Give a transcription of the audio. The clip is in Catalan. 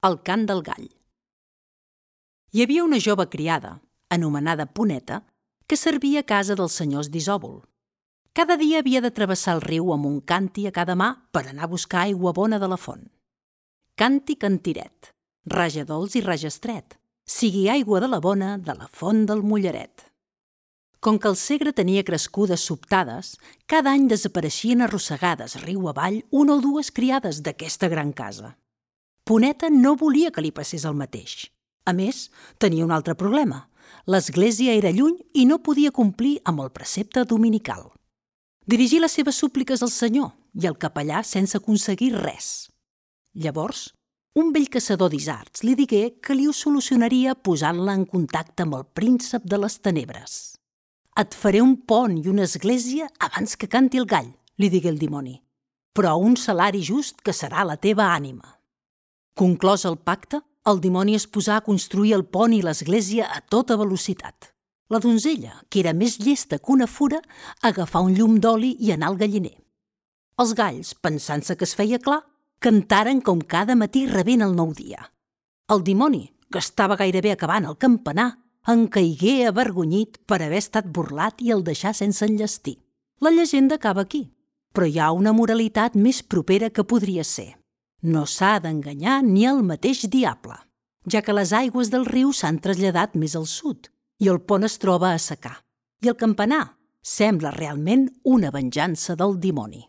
El cant del gall. Hi havia una jove criada, anomenada Poneta, que servia a casa dels senyors d'Isòvol. Cada dia havia de travessar el riu amb un càntir a cada mà per anar a buscar aigua bona de la font. Canti cantiret, raja dolç i raja estret, sigui aigua de la bona de la font del Molleret. Com que el Segre tenia crescudes sobtades, cada any desapareixien arrossegades riu avall una o dues criades d'aquesta gran casa. Poneta no volia que li passés el mateix. A més, tenia un altre problema. L'església era lluny i no podia complir amb el precepte dominical. Dirigí les seves súpliques al Senyor i al capellà sense aconseguir res. Llavors, un vell caçador d'isards li digué que li ho solucionaria posant-la en contacte amb el príncep de les tenebres. «Et faré un pont i una església abans que canti el gall», li digué el dimoni, «però a un salari just que serà la teva ànima». Conclòs el pacte, el dimoni es posà a construir el pont i l'església a tota velocitat. La donzella, que era més llesta que una fura, agafà un llum d'oli i anà al galliner. Els galls, pensant-se que es feia clar, cantaren com cada matí rebent el nou dia. El dimoni, que estava gairebé acabant el campanar, en caigué avergonyit per haver estat burlat i el deixà sense enllestir. La llegenda acaba aquí, però hi ha una moralitat més propera que podria ser. No s'ha d'enganyar ni el mateix diable, ja que les aigües del riu s'han traslladat més al sud i el pont es troba a secar. I el campanar sembla realment una venjança del dimoni.